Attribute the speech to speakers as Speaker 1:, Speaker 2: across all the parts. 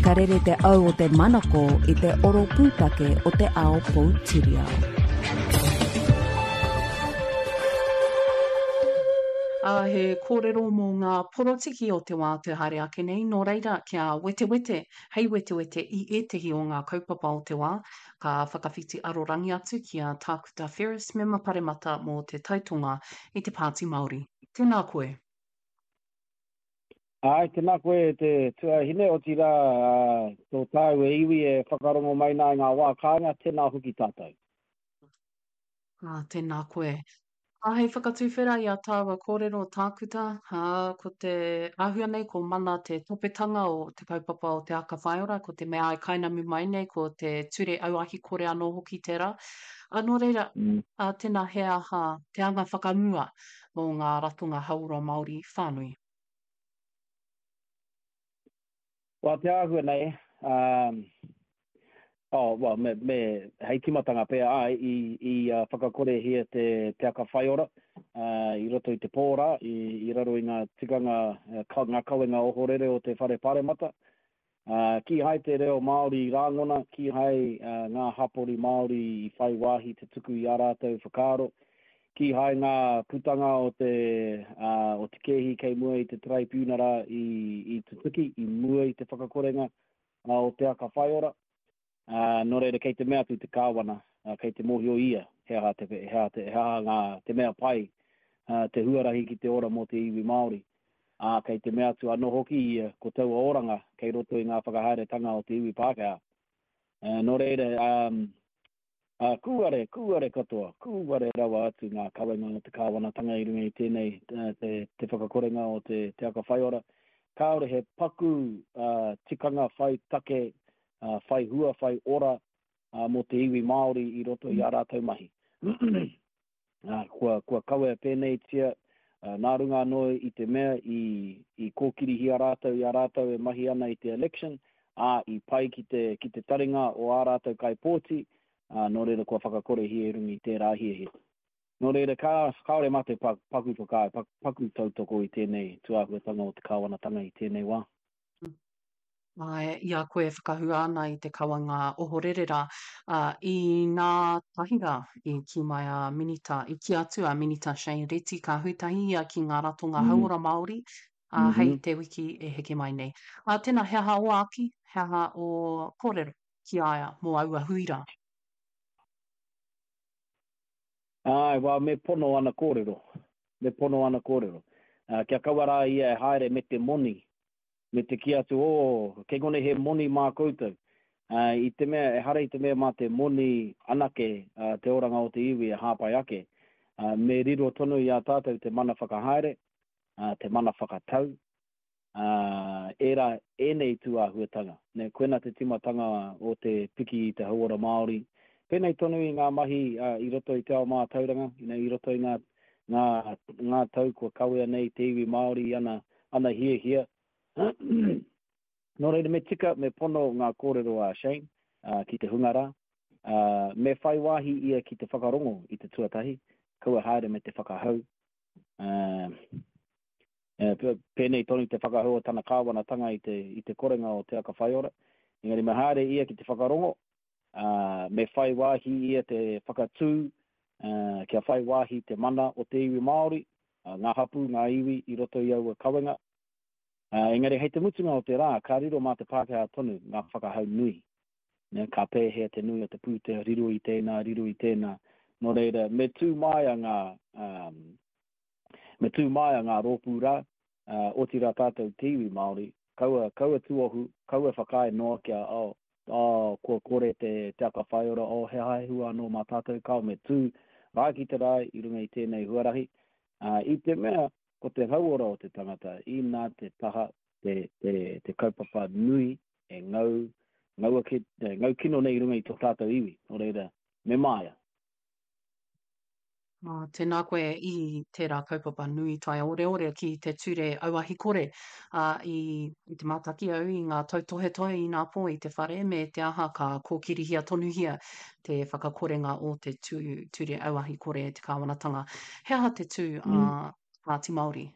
Speaker 1: Ka rere te au o te manako i te oro pūtake o te ao poutiriao.
Speaker 2: Ā, he kōrero mō ngā porotiki o te wā te haere ake nei, nō reira, kia wetewete, hei wetewete i ētehi o ngā kaupapa o te wā, ka whakawhiti arorangi atu ki a Tākuta Ferris, Mema Paremata mō Te Tai Tonga i te Pāti Māori. Tēnā koe.
Speaker 3: Āe, tēnā koe e te tuahine, otirā, tō tāu e iwi e whakarongo mai nā i ngā wā kāinga, tēnā hoki tātou.
Speaker 2: Ā, tēnā koe. Ā, hei whakatuwhera i a tāua kōrero tākuta, ā, ko te āhua nei ko mana te topetanga o te kaupapa o Te Aka Whaiora, ko te mea e kainamu mai nei ko te ture auahi kore anō hoki tērā. Ā, nō reira, ā, tēnā he aha te anga whakamua mō ngā ratonga hauora Māori whānui?
Speaker 3: Well, te āhua nei, um, oh, well, me, me, hei timatanga pea, ai, i, i uh, whakakorehia te, te aka whaiora uh, i roto i te pō rā, i, i raro i ngā tikanga, uh, ka, ngā kawenga ohorere o te whare paremata. Uh, kīhai te reo Māori i rāngona, kīhai uh, ngā hapori Māori i whai wāhi te tuku i ā rātou whakaaro, Kīhai ngā putanga o te, o te kēhi kei mua i te Taraipiunara i, i tutuki i mua i te whakakorenga o Te Aka Whaiora. Nō reira kei te mea atu te Kāwana, kei te mōhio ia he aha te, he aha te, he aha ngā, te mea pai, te huarahi ki te ora mō te iwi Māori. Ā, kei te mea atu anō hoki ia ko taua oranga kei roto i ngā whakahaeretanga o te iwi Pākehā. Nō reira, Ā, kūare, kūare katoa, kūare rawa atu ngā kawenga o te kāwanatanga i runga i tēnei, te, te whakakorenga o te, te aka whaiora. Kāore he paku uh, tikanga whai take, uh, whai hua, whai ora uh, mō te iwi Māori i roto i ā rātou mahi. Ā, kua, kua kawea pēneitia, ā, nā runga anō i te mea i, i kōkirihia rātou i a rātou e mahi ana i te election, ā, i pai ki te, ki te taringa o ā rātou kaipōti, ā, nō reira kua whakakorehia i runga i tērā hiahia. Nō reira, ka, kāore mātou pa, paku whakaae, pa, paku tautoko i tēnei tūāhuatanga o te kāwanatanga i tēnei wā.
Speaker 2: Āe, i a koe e whakahua ana i te kawanga ohorere rā, ā, inā tahi rā i kī mai a Minita, i kī atu a Minita Shane Reti ka hui tahi ia ki ngā ratonga hauora Māori, ā, hei te wiki e heke mai nei. Ā, tēnā, he aha ō āki, he aha ō kōrero ki a ia mō aua hui rā?
Speaker 3: Āe, well, me pono ana kōrero, me pono ana kōrero. Ā, kia kaua rā ia e haere me te moni, me te kī atu, Oh, kei konei he moni mā koutou. Ā, i te mea, ehara i te mea mā te moni anake te oranga o te iwi e hāpai ake. Ā, me riro tonu i a tātou te mana whakahaere, ā, te mana whakatau, ā, ērā, ēnei tū āhuatanga. Nē, koina te tīmatanga o te piki i te hauora Māori. Pēnei tonu i ngā mahi i roto i te ao mātauranga, you know, i roto i ngā, ngā, ngā tau kua kawea nei te iwi Māori i ana, ana hiahia. Nō reira, me tika, me pono ngā kōrero a Shane ki te hunga rā. Me whai wāhi ia ki te whakarongo i te tuatahi, kaua haere me te whakahau. Pēnei tonu te whakahau o tana kāwanatanga i te, i te korenga o Te Aka Whaiora. Engari me haere ia ki te whakarongo, ā, me whai wāhi ia te whakatū, ā, kia whai wāhi te mana o te iwi Māori, ā, ngā hapū, ngā iwi i roto i aua kawenga. Ā, engari hei te mutunga o te rā, ka riro mā te Pākehā tonu ngā whakahau nui. Nē, ka pēhea te nui o te pūtea, riro i tēnā, riro i tēnā. Nō reira, me tū māia ngā, ā, Me tū māia ngā rōpū rā, ā, otirā tātou te iwi Māori, kaua, kaua tuohu, kaua whakaae noa kia, oh, oh, kua kore te, te aka whaiora, oh, he aha he hua anō mā tātou, kāo me tū rae ki te rae i runga i tēnei huarahi, ā, i te mea ko te hauora o te tangata, inā te taha, te, te, te kaupapa nui e ngau, ngau ake, ngau kino nei i runga i tō tātou iwi, nō reira, me māia.
Speaker 2: Ā, tēnā koe i tērā kaupapa nui taioreore ki te ture auahi kore. Ā, i, i te mātaki au i ngā tautohetohe inapō i te whare me te aha ka kōkirihia tonuhia te whakakorenga o te tū, ture auahi kore e te kāwanatanga. He aha te tū a Pāti Māori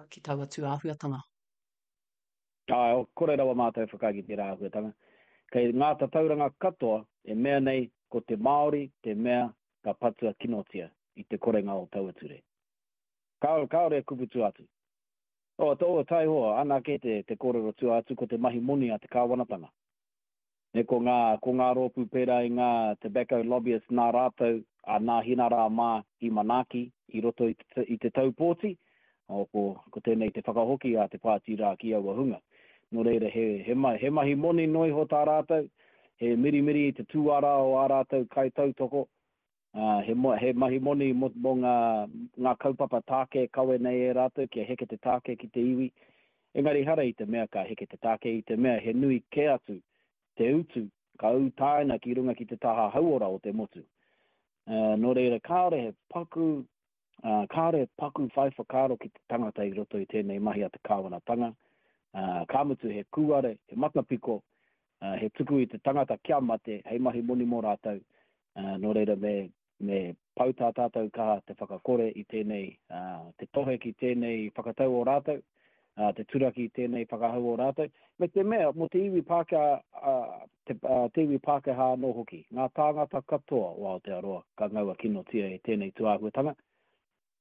Speaker 2: ki taua tū āhuatanga?
Speaker 3: Āe, kore rawa mātou e whakaae ki tērā āhuatanga. Kei ngā tatauranga katoa e mea nei ko te Māori te mea ka patua kinotia i te korenga o taua ture. Kāore, kāore e kupu tua atu. O, o, taihoa, ana kē te, te kōrero tua atu ko te mahi moni a te kāwanatanga. Me ko ngā, ko ngā rōpū pērā i ngā tobacco lobbyists nā rātou a Nāhinara mā i manaaki i roto i te, i te tau pōti, o, ko, ko tēnei te whakahoki a te pāti rā ki aua hunga. Nō reira, he, he, he mahi moni noa iho tā rātou, he mirimiri i te tūara o ā rātou kaitautoko, ā, he, he mahi moni mō, mō ngā, ngā kaupapa tāke kawe nei e rātou kia heke te tāke ki te iwi. Engari ehara i te mea ka heke te tāke, i te mea he nui kē atu te utu ka ūtaina ki runga ki te taha hauora o te motu. Ā, nō reira, kāore he paku, ā, kāore he paku whai whakaaro ki te tangata i roto i tēnei mahi a te kāwanatanga, ā, ka mutu he kūare, he matapiko, ā, he tuku i te tangata kia mate hei mahi moni mō rātou, Ā, nō reira me, me pau tā tātou kaha te whakakore i tēnei, ā, te tohe ki tēnei whakatau o rātou, ā, te turaki i tēnei whakahau o rātou, me te mea, mō te iwi Pākehā, ā, te, ā, te iwi Pākehā anō hoki, ngā tāngata katoa o Aotearoa ka ngaua kinotia e tēnei tūāhuatanga.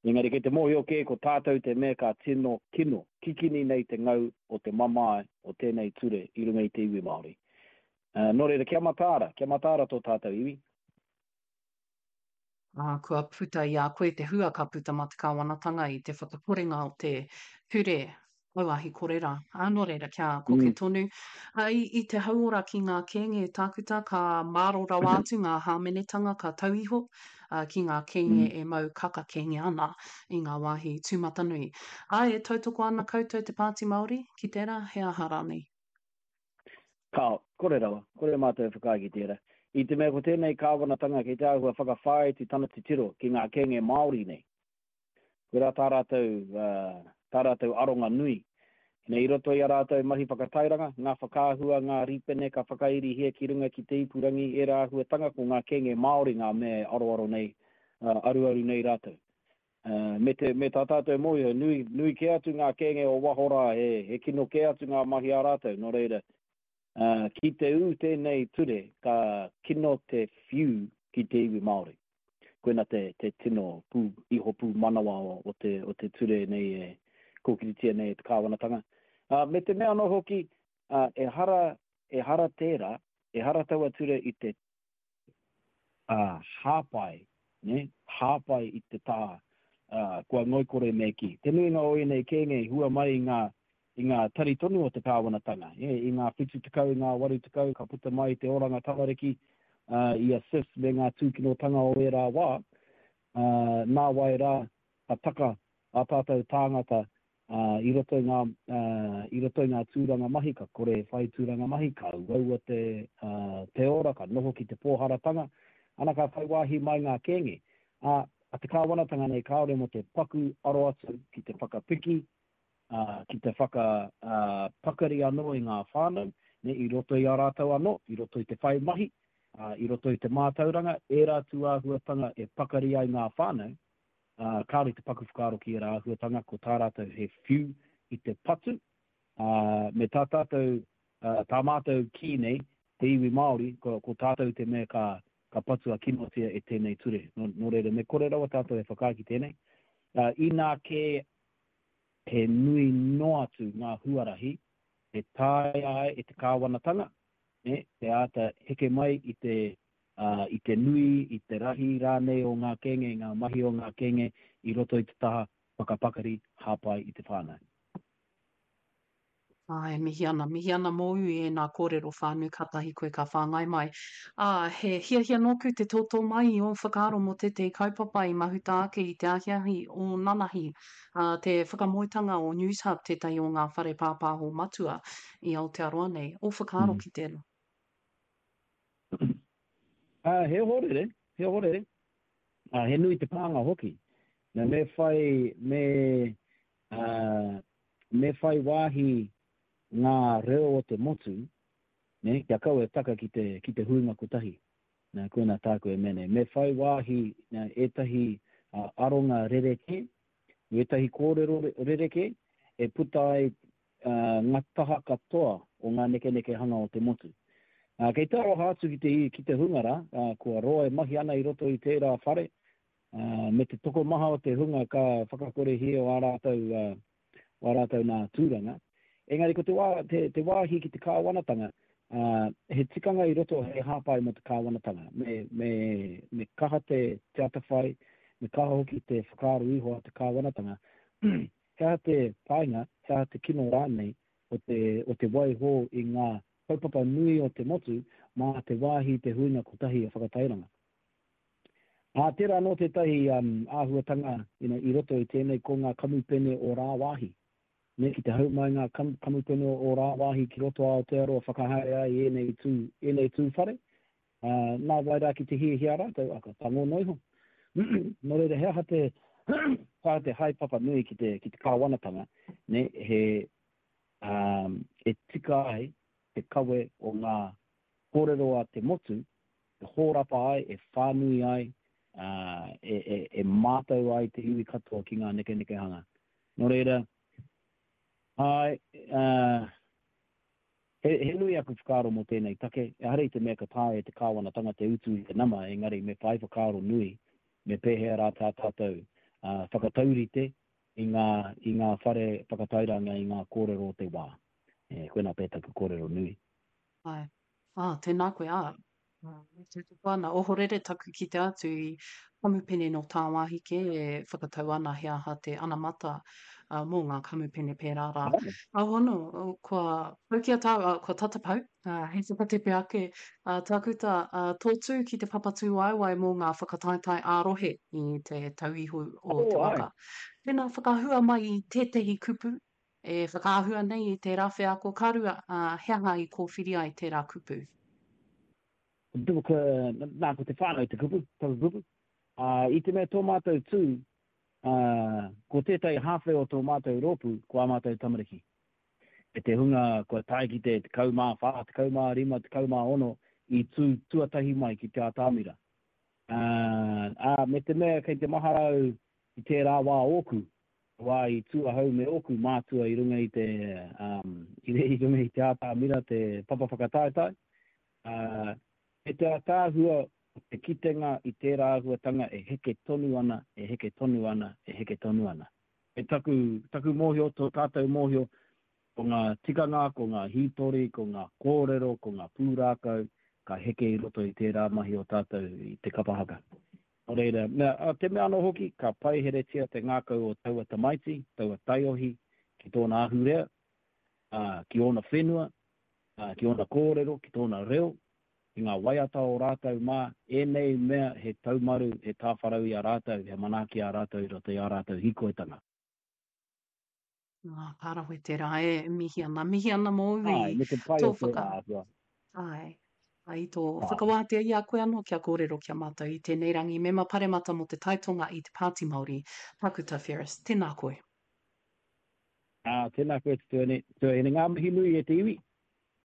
Speaker 3: Engari kei te mōhio kē ko tātou te mea ka tino kino, kikini nei te ngau o te mamae o tēnei ture i runga i te iwi Māori. Ā, nō reira, kia mataara, kia mataara tō tātou iwi.
Speaker 2: Ā, kua puta i a koe te hua ka puta mā te kāwanatanga i te whakakorenga o te ture auahi kore rā. Ā, nō reira, kia koke tonu. Ā, i, i te hauora ki ngā kēnge tākuta, ka māro rawa atu ngā hāmenetanga ka tau iho, ā, ki ngā kēnge e mau kaka kēnge ana i ngā wāhi tūmatanui. Ā, e tautoko ana koutou te Pāti Māori ki tērā, he aha rānei?
Speaker 3: Kāo, kore rawa, kore mātou e whakaae ki tērā. I te mea ko tēnei kāwanatanga kei te āhua whakawhāiti tana titiro ki ngā kēnge Māori nei. Koirā tā rātou, tā rātou aronga nui. Nei i roto i a rātou mahi whakatairanga, ngā whakaahua, ngā rīpene ka whakairihia ki runga ki te ipurangi, ērā āhuatanga ko ngā kēnge Māori ngā mea e aroaro nei, aruaru nei rātou. Me te, me tā tātou mōhio, nui, nui kē atu ngā kēnge o waho rā, he, he kino kē atu ngā mahi a rātou, nō reira, ki te ū tēnei ture, ka kino te whiu ki te iwi Māori. Koina te, te tino pū, iho pūmanawa o, o te, o te ture nei e kōkiritia nei e te kāwanatanga. Ā, me te mea anō hoki, ā, ehara, ehara tērā, ehara taua ture i te ā, hāpai, nē, hāpai i te taha, ā, kua ngoikore me kī. Te nuinga o ēnei kēnge i hua mai i ngā, i ngā tari tonu o te kāwanatanga, ē, i ngā 70, i ngā 80 ka puta mai te oranga tamariki, ā, i a SIS me ngā tūkinotanga o ērā wā, ā, nāwai rā ka taka ā tātou tāngata ā, i roto i ngā, ā, i roto i ngā tūranga mahi, ka kore e whai tūranga mahi, ka uaua te, ā, te ora, ka noho ki te pōharatanga, ana ka whai wāhi mai ngā kēnge. Ā, a te kāwanatanga nei kāore mō te paku aro atu ki te whakapiki, ā, ki te whaka, ā, pakari anō i ngā whānau, nē, i roto i a rātou anō, i roto i te whai mahi, ā, i roto i te mātauranga, ērā tūāhuatanga e pakari ai ngā whānau, ā, kāore te paku whakaaro ki ērā āhuatanga, ko tā rātou he whiu i te patu, ā, me tā tātou, ā, tā mātou kī nei, te iwi Māori, ko, ko tātou te mea ka, ka patua kinotia e tēnei ture. Nō, nō reira, me kore rawa tātou e whakaae ki tēnei. Ā, inā kē he nui noa atu ngā huarahi e taea ai e te kāwanatanga, nē, te āta heke mai i te, ā, i te nui, i te rahi rānei o ngā kēnge, ngā mahi o ngā kēnge i roto i te taha whakapakari hāpai i te whānau.
Speaker 2: Āe, mihi ana, mihi ana mōu i ēnā kōrero whānui kātahi koe ka whāngai mai. Ā, he hiahia nōku te tōtō mai i ō whakaaro mō tētehi kaupapa i mahuta ake i te ahiahi o nanahi, ā, te whakamoetanga o Newshub, tētahi o ngā whare pāpāho matua i Aotearoa nei. Ō whakaaro ki tēnā?
Speaker 3: Ā, he ohorere, he ohorere. Ā, he nui te pānga hoki. Nā, me whai, me, ā, me whai wāhi ngā reo o te motu, nē, kia kaua e taka ki te, ki te huinga kotahi. Nā, koinā tāku e mea nei. Me whai wāhi, nā, ētahi aronga rerekē, ētahi kōrero rerekē e puta ai. ngā taha katoa o ngā nekenekehanga o te motu. Kei te aroha atu ki te, ki te hunga rā, kua roa e mahi ana i roto i tērā whare, me te tokomaha o te hunga ka whakakorehia o ā rātou, o ā rātou nā tūranga. Engari ko te wā, te, te wāhi ki te kāwanatanga, he tikanga i roto hei hāpai mō te kāwanatanga. Me, me, me kaha te, te atawhai, me kaha hoki te whakaaro iho a te kāwanatanga. He aha te painga, he aha te kino rānei o te, o te waiho i ngā kaupapa nui o te motu mā te wāhi te huinga kotahi e whakatairanga. Ā, tērā anō tētahi um, āhuatanga you know, i roto i tēnei ko ngā kamupene o rāwāhi. Me ki te hau mai ngā kam, kamupene o rāwāhi ki roto Aotearoa whakahaere ai ēnei tū, ēnei tū whare, Ā, nā wai rā ki te hiahia rātou, ā, ka tango noa iho. Nō reira, he aha te, he aha te haepapa nui ki te, ki te kāwanatanga, nē, he, ā, e tika ai te kawe o ngā kōrero a te motu, e hōrapa ai, e whānui ai, ā, e, e, e mātau ai te iwi katoa ki ngā nekenekehanga. Nō reira, āe, ā, He, he nui aku whakaaro mō tēnei take, ehara i te mea ka taea e te kāwanatanga te utu i te nama, engari me whai whakaaro nui me pēhea rā tā tātou whakataurite i ngā, i ngā whare whakatairanga i ngā kōrero o te wā. E, koinā pea taku kōrero nui.
Speaker 2: Āe. Ā, tēnā koe, ā, E tautoko ana, ohorere taku kite atu i kamupene nō tāwāhi kē e whakatau ana he aha te anamata mō ngā kamupene pērā rā. Aono, kua pau ki a tāu, kua tata pau, hei whakatepe ake, Tākuta, tō tū ki te papa tūwaewae mō ngā whakataetae ā-rohe i te tauihu o te waka. Tēnā whakahua mai i tētehi kupu E whakaahua nei i tērā wheako ka rua, ā, he aha i kōwhiri ai tērā kupu?
Speaker 3: Nā, ko te whānau te kupu, taku kupu. Ā, i te mea tō mātou tū, ā, ko tētahi hāwhe o tō mātou rōpū, ko ā mātou tamariki. E te hunga kua tae ki te 14, 15, 16 i tū tuatahi mai ki te atamira. Ā, ā, me te mea kei te mahara au i tērā wā ōku, Te wā i tū ahau me ōku mātua i runga i te, um, i runga i te ātamira, te papa whakataetae, ā, me te ātaahua o te kitenga i tērā āhuatanga e heke tonu ana, e heke tonu ana, e heke tonu ana. Me taku, taku mōhio, tō tātou mōhio, ko ngā tikanga, ko ngā hītori, ko ngā kōrero, ko ngā pūrākau, ka heke i roto i tērā mahi o tātou i te kapa haka. Nō reira, mea, ā, te mea anō hoki, ka paiheretia te ngākau o taua tamaiti, taua taiohi, ki tōna ahurea, ā, ki ōna whenua, ā, ki ōna kōrero, ki tōna reo, ki ngā waiata o rātou mā, ēnei mea he taumaru, he tāwharau i a rātou, he manaaki i a rātou i roto i ā rātou hīkoitanga.
Speaker 2: Ā, ka rawe tērā e mihi ana. Mihi ana mōu i
Speaker 3: Āe, me te pai
Speaker 2: tō
Speaker 3: o tērā
Speaker 2: whaka...
Speaker 3: āhua.
Speaker 2: Āe, i tō
Speaker 3: Āe.
Speaker 2: whakawātea i a koe anō kia kōrero ki a mātou i tēnei rangi. Mema Paremata mō te Taitonga i te Pāti Māori, Tākuta Ferris, tēnā koe.
Speaker 3: Ā, tēnā koe te tuahine, tuahine. Ngā mihi nui e te iwi.